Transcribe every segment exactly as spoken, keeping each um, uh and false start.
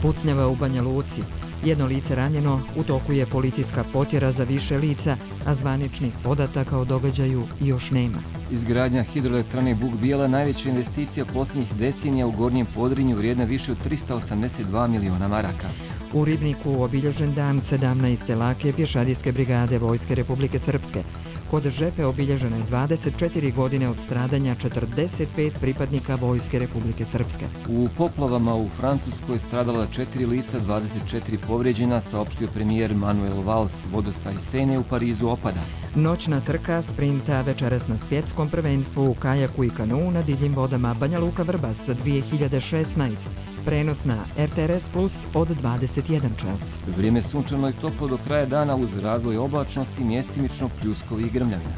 Pucnjava u Banja Luci. Jedno lice ranjeno, u toku je policijska potjera za više lica, a zvaničnih podataka o događaju još nema. Izgradnja hidroelektrane Buk Bijela najveća investicija posljednjih decenija u Gornjem Podrinju vrijedna više od trista osamdeset dva miliona maraka. U Ribniku obilježen dan sedamnaeste lake pješadijske brigade Vojske Republike Srpske. Kod Žepe obilježeno je dvadeset četiri godine od stradanja četrdeset pet pripadnika Vojske Republike Srpske. U poplavama u Francuskoj stradala četiri lica, dvadeset četiri povrijeđena, saopštio premijer Manuel Valls. Vodostaj Sene u Parizu opada. Noćna trka sprinta večeras na svjetskom prvenstvu u kajaku i kanuu na divljim vodama Banja Luka Vrbas dvije hiljade šesnaeste. Prenos na R T R S Plus od dvadeset jedan čas. Vrijeme sunčano i toplo do kraja dana uz razvoj oblačnosti, mjestimično pljuskovi i grmljavina.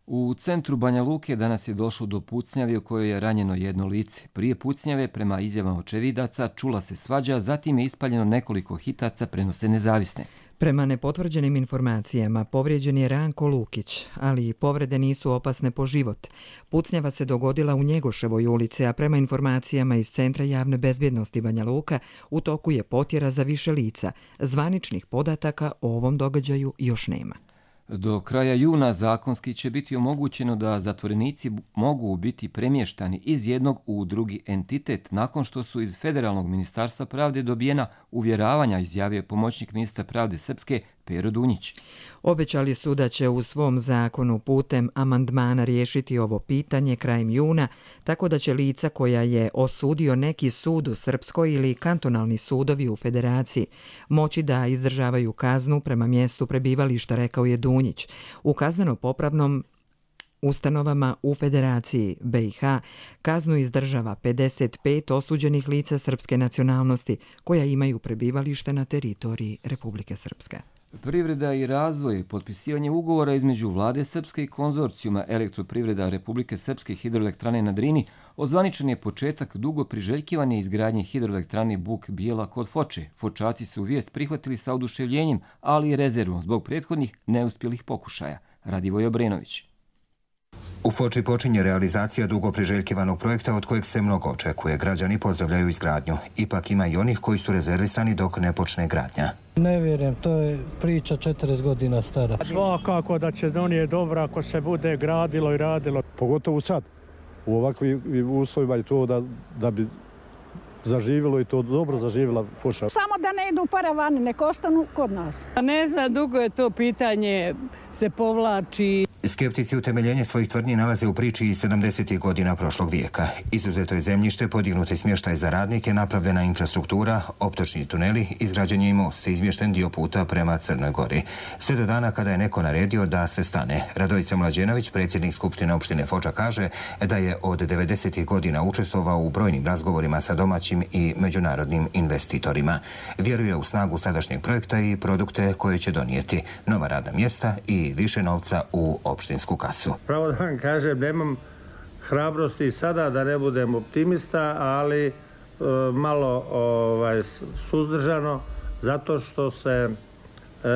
U centru Banja Luke danas je došlo do pucnjave u kojoj je ranjeno jedno lice. Prije pucnjave, prema izjavama očevidaca, čula se svađa, zatim je ispaljeno nekoliko hitaca, prenose Nezavisne. Prema nepotvrđenim informacijama, povrijeđen je Ranko Lukić, ali povrede nisu opasne po život. Pucnjava se dogodila u Njegoševoj ulici, a prema informacijama iz Centra javne bezbjednosti Banja Luka, u toku je potjera za više lica. Zvaničnih podataka o ovom događaju još nema. Do kraja juna zakonski će biti omogućeno da zatvorenici mogu biti premještani iz jednog u drugi entitet nakon što su iz Federalnog ministarstva pravde dobijena uvjeravanja, izjavio pomoćnik ministra pravde Srpske Pero Dunjić. Obećali su da će u svom zakonu putem amandmana riješiti ovo pitanje krajem juna, tako da će lica koja je osudio neki sud u Srpskoj ili kantonalni sudovi u Federaciji moći da izdržavaju kaznu prema mjestu prebivališta, rekao je Dunjić. U kazneno-popravnom ustanovama u Federaciji B i H kaznu izdržava pedeset pet osuđenih lica srpske nacionalnosti koja imaju prebivalište na teritoriji Republike Srpske. Privreda i razvoj, potpisivanje ugovora između Vlade Srpske i konzorcijuma Elektroprivreda Republike Srpske hidroelektrane na Drini ozvaničen je početak dugo priželjkivane izgradnje hidroelektrane Buk Bijela kod Foče. Fočaci su vijest prihvatili sa oduševljenjem, ali i rezervom zbog prethodnih neuspjelih pokušaja. Radivoj Obrenović. U Foči počinje realizacija dugo priželjkivanog projekta od kojeg se mnogo očekuje. Građani pozdravljaju izgradnju. Ipak ima i onih koji su rezervisani dok ne počne gradnja. Ne vjerujem, to je priča četrdeset godina stara. Svakako da će donije dobro ako se bude gradilo i radilo. Pogotovo sad, u ovakvim uslovima je to da, da bi zaživjelo i to dobro zaživjela Foča. Samo da ne idu paravani, nek ostanu kod nas. Ne znam, dugo je to pitanje, se povlači. Skeptici utemeljenje svojih tvrdnji nalaze u priči iz sedamdesetih godina prošlog vijeka. Izuzeto je zemljište, podignuti smještaj za radnike, napravljena infrastruktura, optočni tuneli, izgrađen je i most, izmješten dio puta prema Crnoj Gori. Sve do dana kada je neko naredio da se stane. Radojica Mlađenović, predsjednik Skupštine opštine Foča, kaže da je od devedesetih godina učestvovao u brojnim razgovorima sa domaćim i međunarodnim investitorima. Vjeruje u snagu sadašnjeg projekta i produkte koje će donijeti nova radna mjesta i više novca u opštinsku kasu. Pravo da vam kažem, nemam hrabrosti sada da ne budem optimista, ali e, malo ovaj, suzdržano, zato što se e,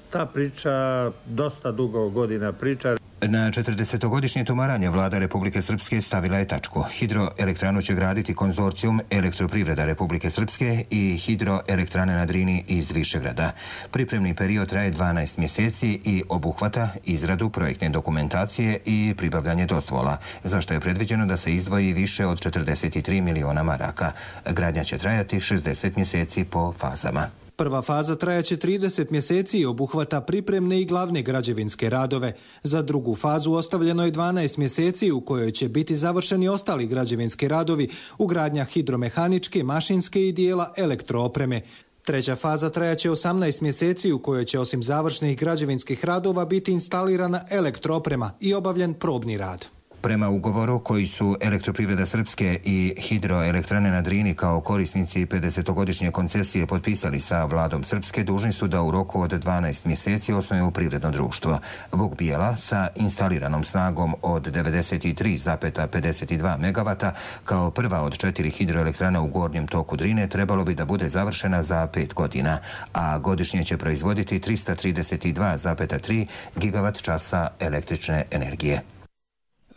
ta priča dosta dugo godina priča. Na četrdesetogodišnje tumaranje vlada Republike Srpske stavila je tačku. Hidroelektranu će graditi konzorcijum Elektroprivreda Republike Srpske i hidroelektrane na Drini iz Višegrada. Pripremni period traje dvanaest mjeseci i obuhvata izradu projektne dokumentacije i pribavljanje dozvola, za što je predviđeno da se izdvoji više od četrdeset tri miliona maraka. Gradnja će trajati šezdeset mjeseci po fazama. Prva faza trajaće trideset mjeseci i obuhvata pripremne i glavne građevinske radove. Za drugu fazu ostavljeno je dvanaest mjeseci u kojoj će biti završeni ostali građevinski radovi, ugradnja hidromehaničke, mašinske i dijela elektroopreme. Treća faza trajaće osamnaest mjeseci u kojoj će osim završnih građevinskih radova biti instalirana elektrooprema i obavljen probni rad. Prema ugovoru koji su Elektroprivreda Srpske i hidroelektrane na Drini kao korisnici pedesetogodišnje koncesije potpisali sa vladom Srpske, dužni su da u roku od dvanaest mjeseci osnuju privredno društvo. Buk Bijela sa instaliranom snagom od devedeset tri zarez pedeset dva megavata kao prva od četiri hidroelektrana u gornjem toku Drine trebalo bi da bude završena za pet godina, a godišnje će proizvoditi trista trideset dva zarez tri gigavat časa električne energije.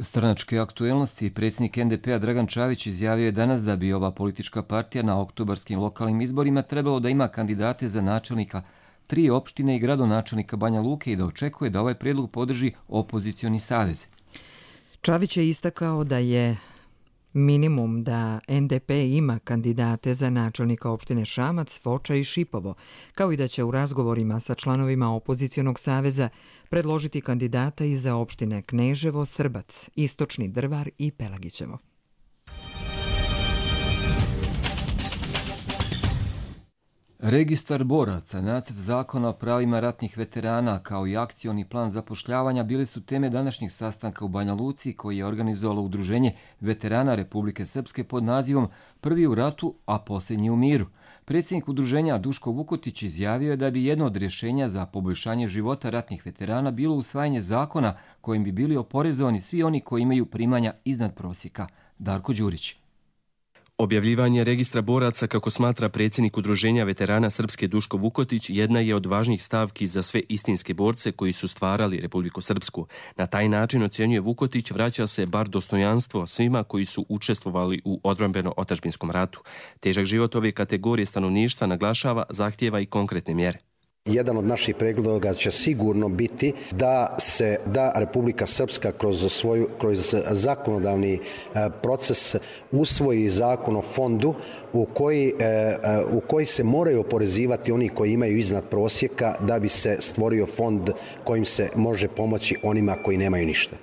Stranačke aktuelnosti predsjednik en de pe a Dragan Čavić izjavio je danas da bi ova politička partija na oktobarskim lokalnim izborima trebalo da ima kandidate za načelnika tri opštine i gradonačelnika Banja Luke i da očekuje da ovaj prijedlog podrži opozicioni savez. Čavić je istakao da je minimum da en de pe ima kandidate za načelnika opštine Šamac, Foča i Šipovo, kao i da će u razgovorima sa članovima opozicionog saveza predložiti kandidata i za opštine Kneževo, Srbac, Istočni Drvar i Pelagićevo. Registar boraca, nacrt zakona o pravima ratnih veterana kao i akcioni plan zapošljavanja bili su teme današnjeg sastanka u Banja Luci koji je organizovalo Udruženje veterana Republike Srpske pod nazivom Prvi u ratu, a posljednji u miru. Predsjednik udruženja Duško Vukotić izjavio je da bi jedno od rješenja za poboljšanje života ratnih veterana bilo usvajanje zakona kojim bi bili oporezovani svi oni koji imaju primanja iznad prosjeka. Darko Đurić. Objavljivanje registra boraca, kako smatra predsjednik Udruženja veterana Srpske Duško Vukotić, jedna je od važnijih stavki za sve istinske borce koji su stvarali Republiku Srpsku. Na taj način, ocjenjuje Vukotić, vraća se bar dostojanstvo svima koji su učestvovali u odbrambeno-otadžbinskom ratu. Težak život ove kategorije stanovništva, naglašava, zahtijeva i konkretne mjere. Jedan od naših predloga će sigurno biti da se da Republika Srpska kroz svoju kroz zakonodavni proces usvoji zakon o fondu u koji u koji se moraju oporezivati oni koji imaju iznad prosjeka da bi se stvorio fond kojim se može pomoći onima koji nemaju ništa.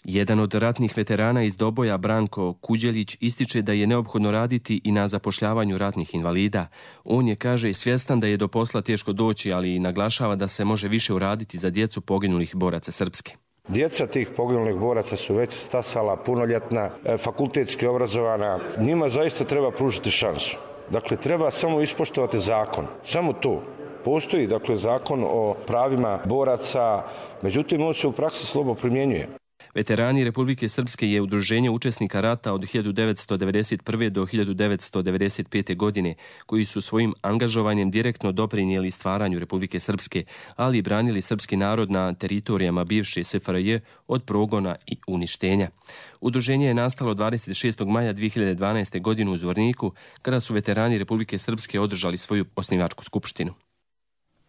Jedan od ratnih veterana iz Doboja, Branko Kuđelić, ističe da je neophodno raditi i na zapošljavanju ratnih invalida. On je, kaže, svjestan da je do posla teško doći, ali i naglašava da se može više uraditi za djecu poginulih boraca Srpske. Djeca tih poginulih boraca su već stasala, punoljetna, fakultetski obrazovana. Njima zaista treba pružiti šansu. Dakle, treba samo ispoštovati zakon. Samo to. Postoji, dakle, zakon o pravima boraca, međutim, on se u praksi slabo primjenjuje. Veterani Republike Srpske je udruženje učesnika rata od hiljadu devetsto devedeset prve do hiljadu devetsto devedeset pete. godine, koji su svojim angažovanjem direktno doprinijeli stvaranju Republike Srpske, ali i branili srpski narod na teritorijama bivše es ef er je od progona i uništenja. Udruženje je nastalo dvadeset šestog maja dvije hiljade dvanaeste. godine u Zvorniku, kada su veterani Republike Srpske održali svoju osnivačku skupštinu.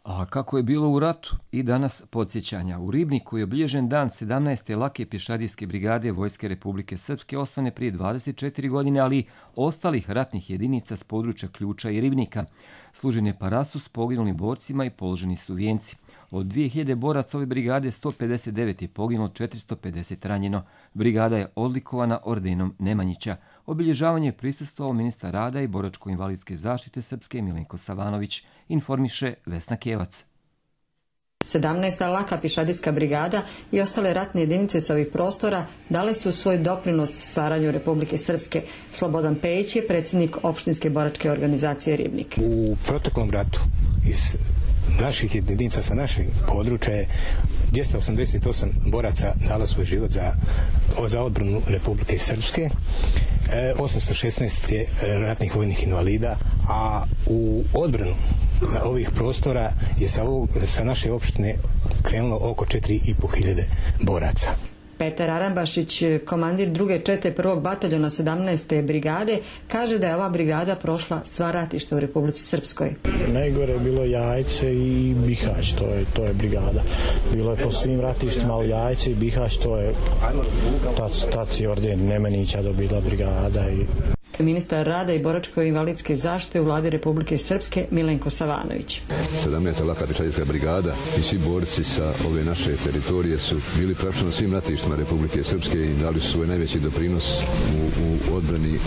A kako je bilo u ratu? I danas podsjećanja. U Ribniku je obilježen dan sedamnaeste lake pješadijske brigade Vojske Republike Srpske, osnovane prije dvadeset četiri godine, ali i ostalih ratnih jedinica s područja Ključa i Ribnika. Služen je parastu s poginulim borcima i položeni su vijenci. Od dvije hiljade boraca ove brigade sto pedeset devet je poginulo, četiristo pedeset ranjeno. Brigada je odlikovana ordenom Nemanjića. Obilježavanje je prisustvovao ministar rada i boračko-invalidske zaštite Srpske Milenko Savanović, informiše Vesna Kevac. sedamnaesta laka pješadijska brigada i ostale ratne jedinice sa ovih prostora dale su svoj doprinos stvaranju Republike Srpske. Slobodan Pejić je predsjednik opštinske boračke organizacije Ribnik. U proteklom ratu iz naših jedinica sa naših područja je dvjesto osamdeset osam boraca dalo svoj život za, za odbranu Republike Srpske, osamsto šesnaest je ratnih vojnih invalida, a u odbranu na ovih prostora je sa, ovog, sa naše opštine krenulo oko četiri i po hiljade boraca. Petar Arambašić, komandir druge čete prvog bataljona sedamnaeste brigade, kaže da je ova brigada prošla sva ratišta u Republici Srpskoj. Najgore je bilo Jajce i Bihać, to je, to je brigada. Bilo je po svim ratištima, ali Jajce i Bihać, to je tac, tac i orden Nemenića dobila brigada. I... Ministar rada i boračko-invalidske zaštite u vladi Republike Srpske Milenko Savanović. sedamnaesta laka pješadijska brigada i svi borci sa ove naše teritorije su bili praktično na svim ratištima Republike Srpske i dali su svoj najveći doprinos u, u odbrani e,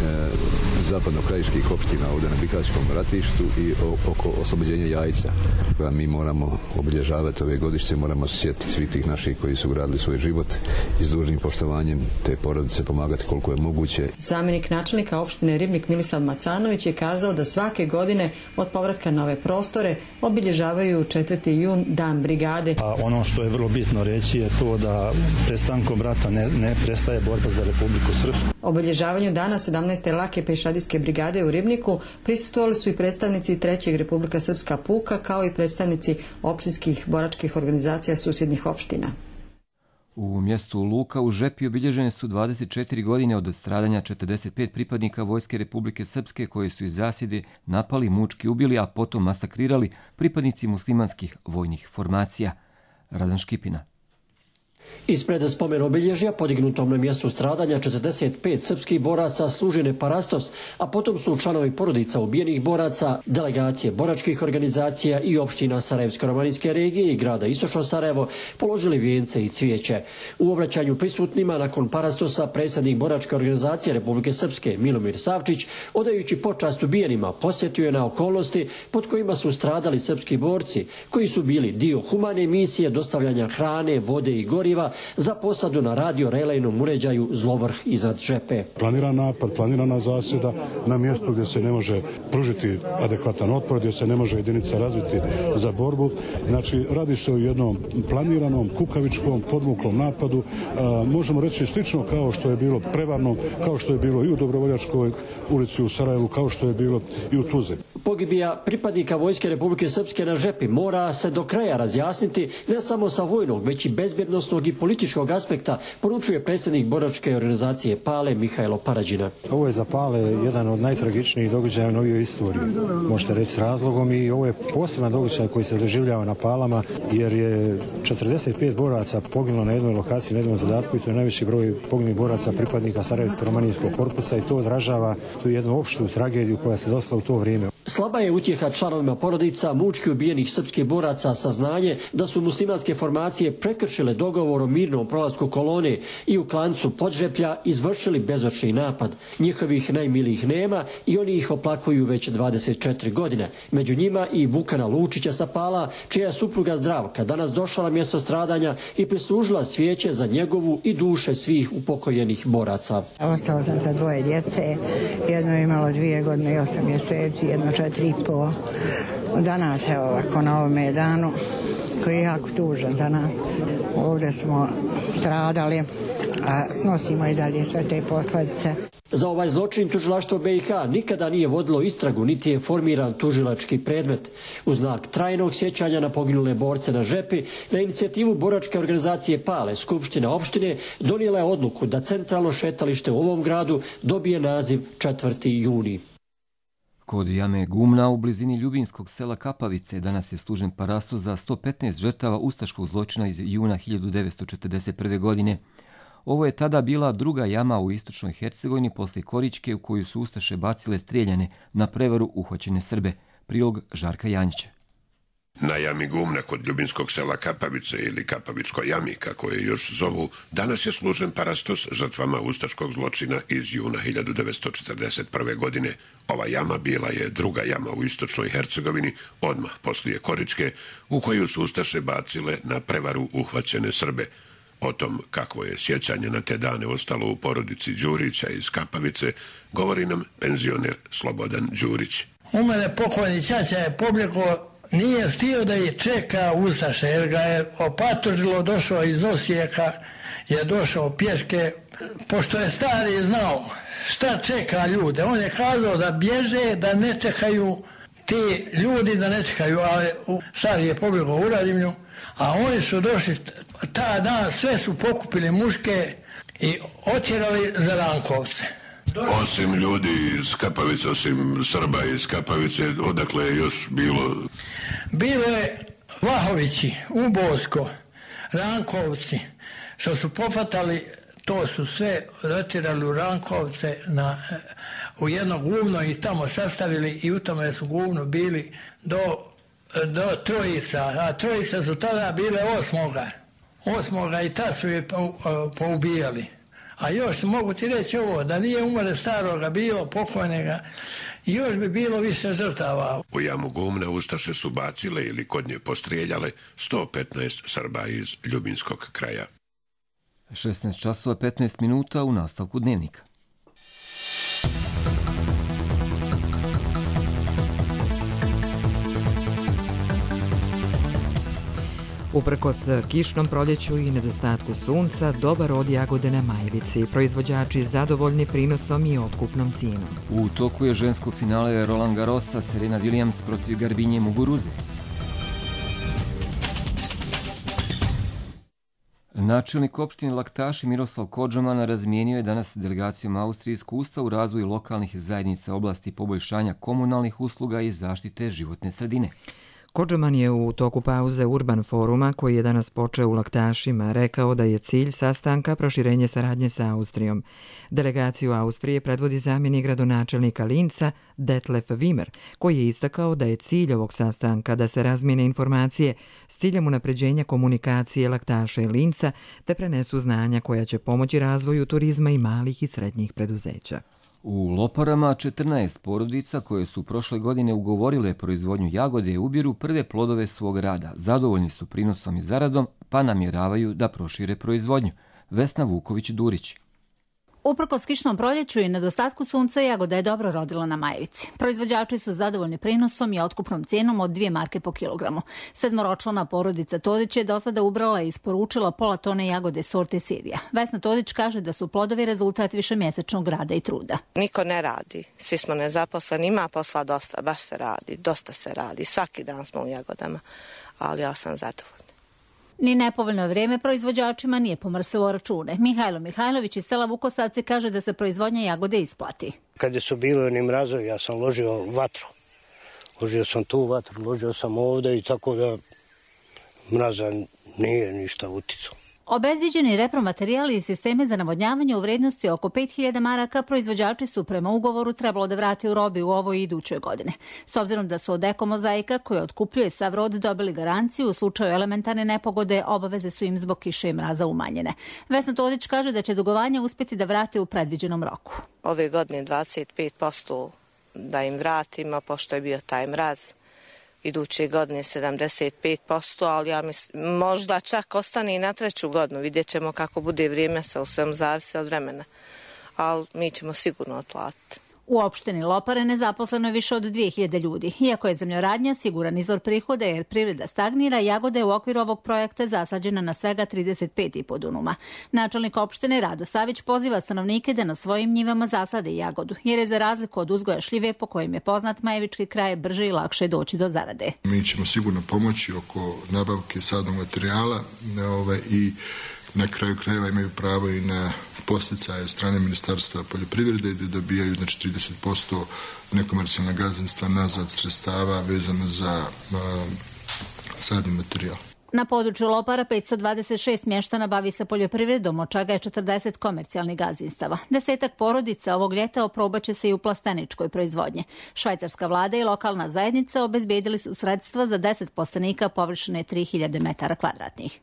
zapadno-krajiških opština ovdje na Bihaćkom ratištu i o, oko oslobođenja Jajca. Pa mi moramo obilježavati ove godišnje, moramo se sjetiti svih tih naših koji su gradili svoj život i s dužnim poštovanjem te porodice pomagati koliko je moguće. Zamjenik načelnika opštine Ribnik Milisav Macanović je kazao da svake godine od povratka na ove prostore obilježavaju četvrti jun dan brigade. A ono što je vrlo bitno reći je to da prestankom rata ne, ne prestaje borba za Republiku Srpsku. Obilježavanju dana sedamnaeste lake pješadijske brigade u Ribniku prisustvovali su i predstavnici trećeg Republika Srpska puka kao i predstavnici opštinskih boračkih organizacija susjednih opština. U mjestu Luka u Žepi obilježene su dvadeset četiri godine od stradanja četrdeset pet pripadnika Vojske Republike Srpske koji su iz zasjede napali, mučki ubili, a potom masakrirali pripadnici muslimanskih vojnih formacija. Radan Škipina. Ispred spomen obilježja, podignutom na mjestu stradanja četrdeset pet srpskih boraca, služene parastos, a potom su članovi porodica ubijenih boraca, delegacije boračkih organizacija i opština Sarajevsko-romanijske regije i grada Istočno Sarajevo položili vijence i cvijeće. U obraćanju prisutnima nakon parastosa predsjednik boračke organizacije Republike Srpske Milomir Savčić, odajući počast ubijenima, posjetio je na okolnosti pod kojima su stradali srpski borci, koji su bili dio humane misije dostavljanja hrane, vode i goriva za posadu na radio-relejnom uređaju Zlovrh iznad Žepe. Planiran napad, planirana zasjeda na mjestu gdje se ne može pružiti adekvatan otpor, gdje se ne može jedinica razviti za borbu. Znači, radi se o jednom planiranom, kukavičkom, podmuklom napadu. A, možemo reći slično kao što je bilo prevarno, kao što je bilo i u Dobrovoljačkoj ulici u Sarajevu, kao što je bilo i u Tuzi. Pogibija pripadnika Vojske Republike Srpske na Žepi mora se do kraja razjasniti ne samo sa vojnog, već i bezbjednosnog i političkog aspekta, poručuje predsjednik boračke organizacije Pale Mihajlo Parađina. Ovo je za Pale jedan od najtragičnijih događaja u novijoj istoriji, možete reći s razlogom, i ovo je poseban događaj koji se doživljava na Palama, jer je četrdeset pet boraca poginulo na jednoj lokaciji, na jednom zadatku, i to je najveći broj poginulih boraca pripadnika Sarajevsko-romanijskog korpusa, i to odražava tu jednu opštu tragediju koja se desila u to vrijeme. Slaba je utjeha članovima porodica mučki ubijenih srpskih boraca saznanje da su muslimanske formacije prekršile dogovor o mirnom prolasku kolone i u klancu Podžeplja izvršili bezočni napad. Njihovih najmilijih nema i oni ih oplakuju već dvadeset četiri godine. Među njima i Vukana Lučića sa Pala, čija je supruga Zdravka danas došla na mjesto stradanja i prislužila svijeće za njegovu i duše svih upokojenih boraca. Ostao sam sa dvoje djece, jedno je imalo dvije godine i osam mjeseci, jedno četiri i pol. Danas je ovako na ovome danu koji je jako tužan za nas. Ovdje smo stradali, a snosimo i dalje sve te posljedice. Za ovaj zločin tužilaštvo B i H nikada nije vodilo istragu, niti je formiran tužilački predmet. U znak trajnog sjećanja na poginule borce na Žepi, na inicijativu boračke organizacije Pale, Skupština opštine donijela je odluku da centralno šetalište u ovom gradu dobije naziv četvrti juni. Kod jame Gumna u blizini ljubinskog sela Kapavice danas je služen parastos za sto petnaest žrtava ustaškog zločina iz juna hiljadu devetsto četrdeset prve. godine. Ovo je tada bila druga jama u istočnoj Hercegovini poslije Koričke u koju su ustaše bacile strijeljane na prevaru uhvaćene Srbe. Prilog Žarka Janjića. Na jami Gumna kod ljubinskog sela Kapavice ili Kapavičkoj jami, kako je još zovu, danas je služen parastos žrtvama ustaškog zločina iz juna hiljadu devetsto četrdeset prve. godine. Ova jama bila je druga jama u istočnoj Hercegovini, odmah poslije Koričke, u koju su ustaše bacile na prevaru uhvaćene Srbe. O tom kakvo je sjećanje na te dane ostalo u porodici Đurića iz Kapavice, govori nam penzioner Slobodan Đurić. U mene pokojni ćaća je pobjegao, nije stio da je čeka ustaše, jer ga je opatužilo, došao iz Osijeka, je došao pješke, pošto je stari znao šta čeka ljude. On je kazao da bježe, da ne čekaju ti ljudi, da ne čekaju, ali stari je pobjegao u Radimlju, a oni su došli ta dan, sve su pokupili muške i otjerali za Rankovce. Osim ljudi iz Kapavice, osim Srba iz Kapavice, odakle je još bilo? Bilo je Vlahovići, Ubosko, Rankovci, što su pofatali, to su sve otjerali u Rankovce na, u jedno guvno i tamo sastavili i u tome su guvnu bili do, do trojica, a trojica su tada bile osmoga. Osmoga i ta su je poubijali. A još mogu ti reći ovo, da nije umre staroga bilo, pokojnega, još bi bilo više žrtava. U jamu Gumna ustaše su bacile ili kod nje postrijeljale sto petnaest Srba iz ljubinskog kraja. šesnaest časova petnaest minuta u nastavku dnevnika. Uprkos kišnom proljeću i nedostatku sunca, dobar rod jagode na Majevici. Proizvođači zadovoljni prinosom i otkupnom cijenom. U toku je žensko finale Roland Garrosa, Serena Williams protiv Garbinje Muguruze. Načelnik opštine Laktaši Miroslav Kodžaman razmijenio je danas delegacijom Austrije iskustva u razvoju lokalnih zajednica oblasti poboljšanja komunalnih usluga i zaštite životne sredine. Kodžaman je u toku pauze Urban foruma, koji je danas počeo u Laktašima, rekao da je cilj sastanka proširenje saradnje sa Austrijom. Delegaciju Austrije predvodi zamjenik gradonačelnika Linca Detlef Wimmer, koji je istakao da je cilj ovog sastanka da se razmijene informacije s ciljem unapređenja komunikacije Laktaša i Linca te prenesu znanja koja će pomoći razvoju turizma i malih i srednjih preduzeća. U Loparama četrnaest porodica koje su prošle godine ugovorile proizvodnju jagode ubiru prve plodove svog rada. Zadovoljni su prinosom i zaradom, pa namjeravaju da prošire proizvodnju. Vesna Vuković-Durić. Uprkos kišnom proljeću i nedostatku sunca, jagoda je dobro rodila na Majevici. Proizvođači su zadovoljni prinosom i otkupnom cijenom od dvije marke po kilogramu. Sedmoročlana porodica Todić je do sada ubrala i isporučila pola tone jagode sorte Sirija. Vesna Todić kaže da su plodovi rezultat višemjesečnog rada i truda. Niko ne radi, svi smo nezaposleni, ima posla dosta, baš se radi, dosta se radi, svaki dan smo u jagodama, ali ja sam zadovoljna. Ni nepovoljno vrijeme proizvođačima nije pomrsilo račune. Mihajlo Mihajlović iz sela Vukosaci kaže da se proizvodnja jagode isplati. Kada su bili oni mrazovi, ja sam ložio vatru. Ložio sam tu vatru, ložio sam ovdje i tako da mraza nije ništa uticao. Obezbiđeni repromaterijali i sisteme za navodnjavanje u vrijednosti oko pet hiljada maraka proizvođači su prema ugovoru trebalo da vrati u robi u ovoj i idućoj godine. S obzirom da su od Eko Mozaika, koja otkupljuje sav rod, dobili garanciju u slučaju elementarne nepogode, obaveze su im zbog kiše i mraza umanjene. Vesna Todić kaže da će dugovanje uspjeti da vrate u predviđenom roku. Ove godine dvadeset pet posto da im vratimo, pošto je bio taj mraz. Iduće godine sedamdeset pet posto, ali ja mislim, možda čak ostane i na treću godinu. Vidjet ćemo kako bude vrijeme, sa u svem zavisi od vremena. Ali mi ćemo sigurno otplatiti. U opštini Lopare nezaposleno je više od dvije hiljade ljudi. Iako je zemljoradnja siguran izvor prihoda jer privreda stagnira, jagoda je u okviru ovog projekta zasađena na svega trideset pet i po dunuma. Načelnik opštine Rado Savić poziva stanovnike da na svojim njivama zasade jagodu, jer je za razliku od uzgoja šljive, po kojem je poznat majevički kraj, brže i lakše doći do zarade. Mi ćemo sigurno pomoći oko nabavke sadnog materijala ovaj, i na kraju krajeva imaju pravo i na posticaje od strane Ministarstva poljoprivrede gdje dobijaju znači, trideset posto nekomercijalna gazdinstva nazad sredstava vezano za uh, sadni materijal. Na području Lopara petsto dvadeset šest mještana bavi se poljoprivredom, od čega je četrdeset komercijalnih gazdinstava. Desetak porodica ovog ljeta oprobaće se i u plasteničkoj proizvodnji. Švajcarska vlada i lokalna zajednica obezbijedili su sredstva za deset plastenika površine tri hiljade metara kvadratnih.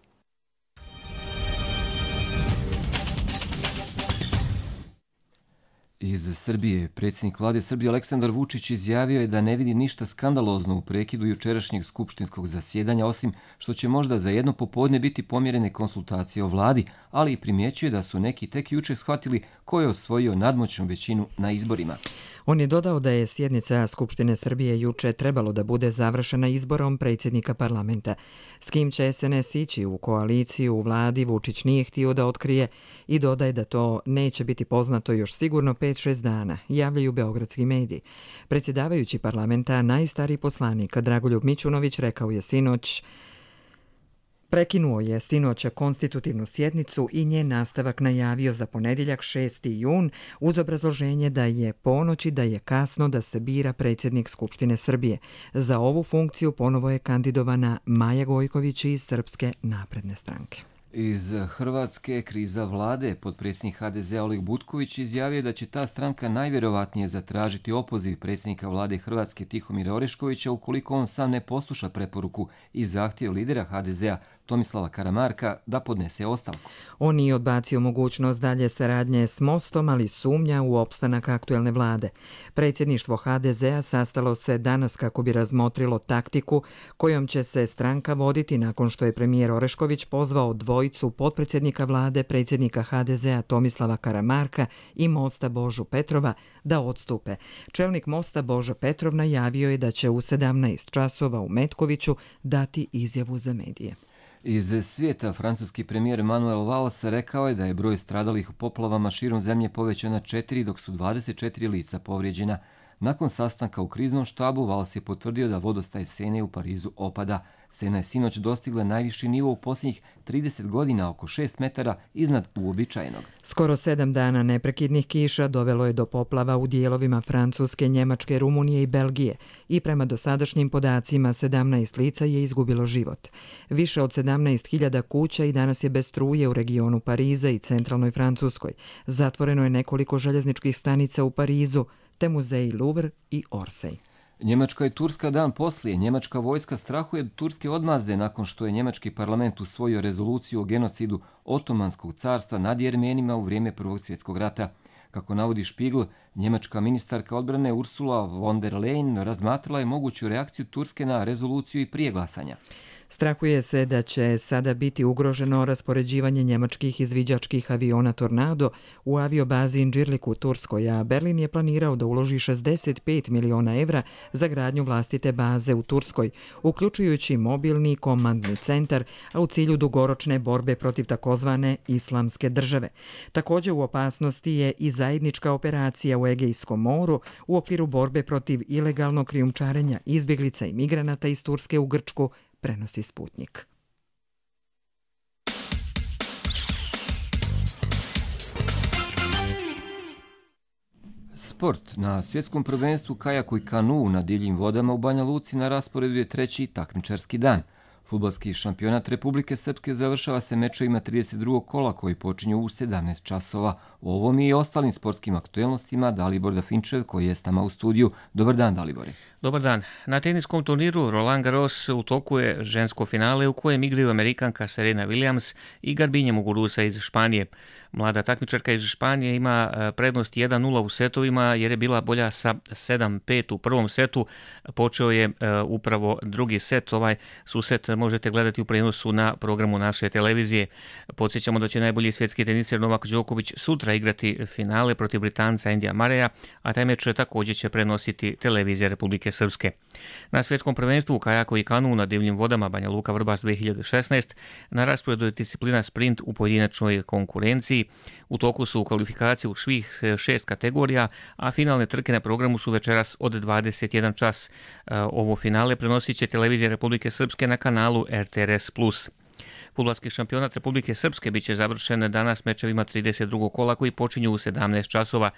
Iz Srbije, predsjednik vlade Srbije Aleksandar Vučić izjavio je da ne vidi ništa skandalozno u prekidu jučerašnjeg skupštinskog zasjedanja, osim što će možda za jedno popodne biti pomjerene konsultacije o vladi, ali i primjećuje da su neki tek juče shvatili ko je osvojio nadmoćnu većinu na izborima. On je dodao da je sjednica Skupštine Srbije juče trebalo da bude završena izborom predsjednika parlamenta. S kim će S N S ići u koaliciju u vladi, Vučić nije htio da otkrije i dodaje da to neće biti poznato još sigurno pet šest dana, javljaju beogradski mediji. Predsjedavajući parlamenta, najstariji poslanik Dragoljub Mićunović rekao je sinoć Prekinuo je sinoća konstitutivnu sjednicu i njen nastavak najavio za ponedjeljak šesti jun uz obrazloženje da je ponoći da je kasno da se bira predsjednik Skupštine Srbije. Za ovu funkciju ponovo je kandidovana Maja Gojković iz Srpske napredne stranke. Iz Hrvatske kriza vlade, potpredsjednik H D Z-a Oleg Butković izjavio da će ta stranka najvjerovatnije zatražiti opoziv predsjednika vlade Hrvatske Tihomira Oreškovića ukoliko on sam ne posluša preporuku i zahtjev lidera H D Z-a Tomislava Karamarka da podnese ostavku. On nije odbacio mogućnost dalje saradnje s Mostom, ali sumnja u opstanak aktuelne vlade. Predsjedništvo H D Z-a sastalo se danas kako bi razmotrilo taktiku kojom će se stranka voditi nakon što je premijer Orešković pozvao dvojicu potpredsjednika vlade, predsjednika H D Z-a Tomislava Karamarka i Mosta Božu Petrova da odstupe. Čelnik Mosta Božo Petrov najavio je da će u sedamnaest časova u Metkoviću dati izjavu za medije. Iz svijeta, francuski premijer Manuel Valls rekao je da je broj stradalih u poplavama širom zemlje povećan na četiri, dok su dvadeset četiri lica povrijeđena. Nakon sastanka u kriznom štabu, Valls je potvrdio da vodostaj Sene u Parizu opada. Sena je sinoć dostigla najviši nivo u posljednjih trideset godina, oko šest metara iznad uobičajenog. Skoro sedam dana neprekidnih kiša dovelo je do poplava u dijelovima Francuske, Njemačke, Rumunije i Belgije i prema dosadašnjim podacima sedamnaest lica je izgubilo život. Više od sedamnaest hiljada kuća i danas je bez struje u regionu Pariza i centralnoj Francuskoj. Zatvoreno je nekoliko željezničkih stanica u Parizu, te muzeji Louvre i Orsay. Njemačka i Turska dan poslije. Njemačka vojska strahuje od turske odmazde nakon što je njemački parlament usvojio rezoluciju o genocidu Otomanskog carstva nad Jermenima u vrijeme Prvog svjetskog rata. Kako navodi Spiegel, njemačka ministarka odbrane Ursula von der Leyen razmatrala je moguću reakciju Turske na rezoluciju i prije glasanja. Strahuje se da će sada biti ugroženo raspoređivanje njemačkih izviđačkih aviona Tornado u aviobazi Incirlik u Turskoj, a Berlin je planirao da uloži šezdeset pet miliona evra za gradnju vlastite baze u Turskoj, uključujući mobilni komandni centar, a u cilju dugoročne borbe protiv takozvane islamske države. Također u opasnosti je i zajednička operacija u Egejskom moru u okviru borbe protiv ilegalnog krijumčarenja izbjeglica i migranata iz Turske u Grčku, prenosi Sputnik. Sport. Na svjetskom prvenstvu kajaku i kanu na divljim vodama u Banja Luci na rasporedu je treći takmičarski dan. Fudbalski šampionat Republike Srpske završava se mečevima trideset drugog kola koji počinju u sedamnaest časova. O ovom i ostalim sportskim aktuelnostima Dalibor Dafinčev koji je s nama u studiju. Dobar dan, Dalibore. Dobar dan. Na teniskom turniru Roland Garros u toku je žensko finale u kojem igraju Amerikanka Serena Williams i Garbinja Muguruza iz Španije. Mlada takmičarka iz Španije ima prednost jedan nula u setovima jer je bila bolja sa sedam pet u prvom setu. Počeo je upravo drugi set. Ovaj susret možete gledati u prenosu na programu naše televizije. Podsjećamo da će najbolji svjetski teniser Novak Đoković sutra igrati finale protiv Britanca Endija Mareja, a taj meč također će prenositi televizija Republike Srpske. Na svjetskom prvenstvu u kajaku i kanu na divljim vodama Banja Luka Vrbas dve hiljade šesnaest na rasporedu je disciplina sprint u pojedinačnoj konkurenciji. U toku su kvalifikacije u svih šest kategorija, a finalne trke na programu su večeras od dvadeset jedan čas. Ovo finale prenosit će televizija Republike Srpske na kanalu R T R S plus. Fudbalski šampionat Republike Srpske biće završen danas mečevima trideset drugog kola koji počinju u sedamnaest časova.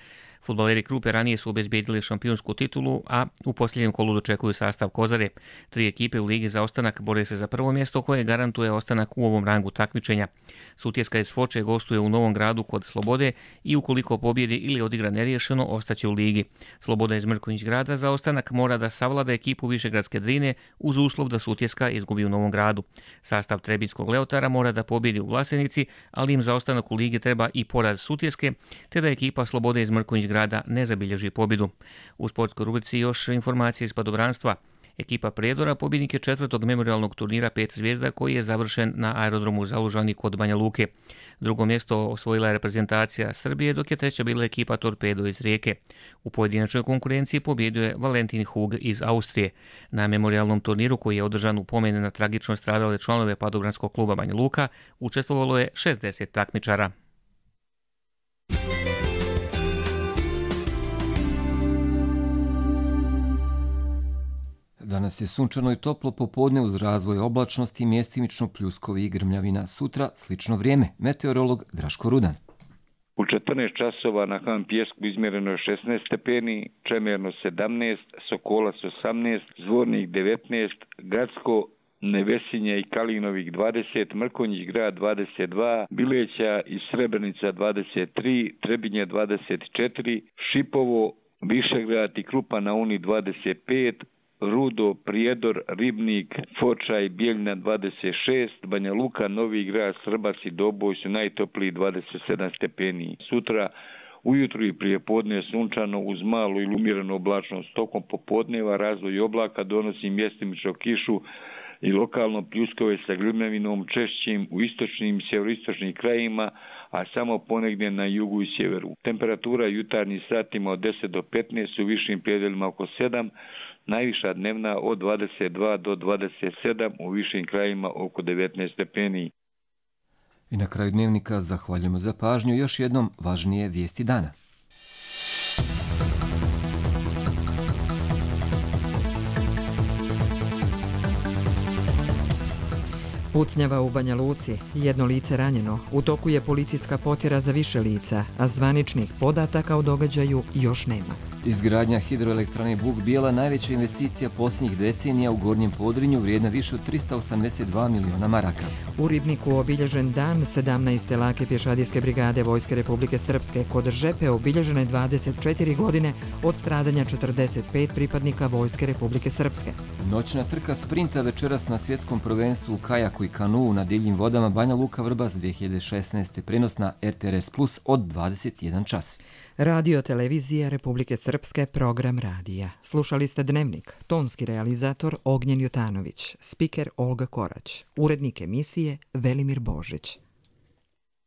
Fudbaleri Krupe ranije su obezbijedili šampionsku titulu, a u posljednjem kolu dočekuju sastav Kozare. Tri ekipe u ligi za ostanak bore se za prvo mjesto koje garantuje ostanak u ovom rangu takmičenja. Sutjeska iz Foče gostuje u Novom Gradu kod Slobode i ukoliko pobjedi ili odigra neriješeno, ostaće u ligi. Sloboda iz Mrkonjić Grada za ostanak mora da savlada ekipu Višegradske Drine uz uslov da Sutjeska izgubi u Novom Gradu. Sastav Trebinskog Leotara mora da pobjedi u Vlasenici, ali im za ostanak u ligi treba i poraz Sutjeske, te da ekipa Slobode iz Mrkonjić Grada ne zabilježi pobjedu. U sportskoj rubrici još informacije iz padobranstva. Ekipa Prijedora pobjednik je četvrtog memorialnog turnira pet zvijezda koji je završen na aerodromu Zalužani kod Banja Luke. Drugo mjesto osvojila je reprezentacija Srbije, dok je treća bila ekipa Torpedo iz Rijeke. U pojedinačnoj konkurenciji pobjedio je Valentin Hug iz Austrije. Na memorialnom turniru koji je održan u pomene na tragično stradale članove padobranskog kluba Banja Luka učestvovalo je šezdeset takmičara. Danas je sunčano i toplo popodne uz razvoj oblačnosti, mjestimično pljuskovi i grmljavina. Sutra slično vrijeme. Meteorolog Draško Rudan. U četrnaest časova na Han Pjesku izmjereno je šesnaest stepeni, Čemerno sedamnaest, Sokolac osamnaest, Zvornik devetnaest, Gradsko, Nevesinje i Kalinovik dvadeset, Mrkonjić Grad dvadeset dva, Bileća i Srebrenica dvadeset tri, Trebinje dvadeset četiri, Šipovo, Višegrad i Krupa na Uni dvadeset pet, Rudo, Prijedor, Ribnik, Foča i Bijeljina dvadeset šest, Banja Luka, Novi Grad, Srbac i Doboj su najtopliji dvadeset sedam stepeni. Sutra ujutru i prije podne sunčano uz malu ili umjerenu oblačnost. Tokom popodneva razvoj oblaka donosi mjestimično kišu i lokalno pljuskove sa grmljavinom češćim u istočnim i sjeveroistočnim krajima, a samo ponegdje na jugu i sjeveru. Temperatura jutarnjih satima od deset do petnaest, u višim predjelima oko sedam, najviša dnevna od dvadeset dva do dvadeset sedam, u višim krajima oko devetnaest stepeni. I na kraju dnevnika zahvaljujemo za pažnju. Još jednom važnije vijesti dana. Pucnjava u Banja Luci, jedno lice ranjeno, u toku je policijska potjera za više lica, a zvaničnih podataka o događaju još nema. Izgradnja hidroelektrane Buk Bijela najveća investicija posljednjih decenija u Gornjem Podrinju vrijedna više od trista osamdeset dva miliona maraka. U Ribniku obilježen dan sedamnaeste lake pješadijske brigade Vojske Republike Srpske. Kod Žepe obilježene dvadeset četiri godine od stradanja četrdeset pet pripadnika Vojske Republike Srpske. Noćna trka sprinta večeras na svjetskom prvenstvu u kajaku i kanuu na divljim vodama Banja Luka Vrbas dvije hiljade šesnaeste prenos na R T R S Plus od dvadeset jedan čas. Radio televizija Republike Srpske, program radija. Slušali ste Dnevnik, tonski realizator Ognjen Jutanović, spiker Olga Korać, urednik emisije Velimir Božić.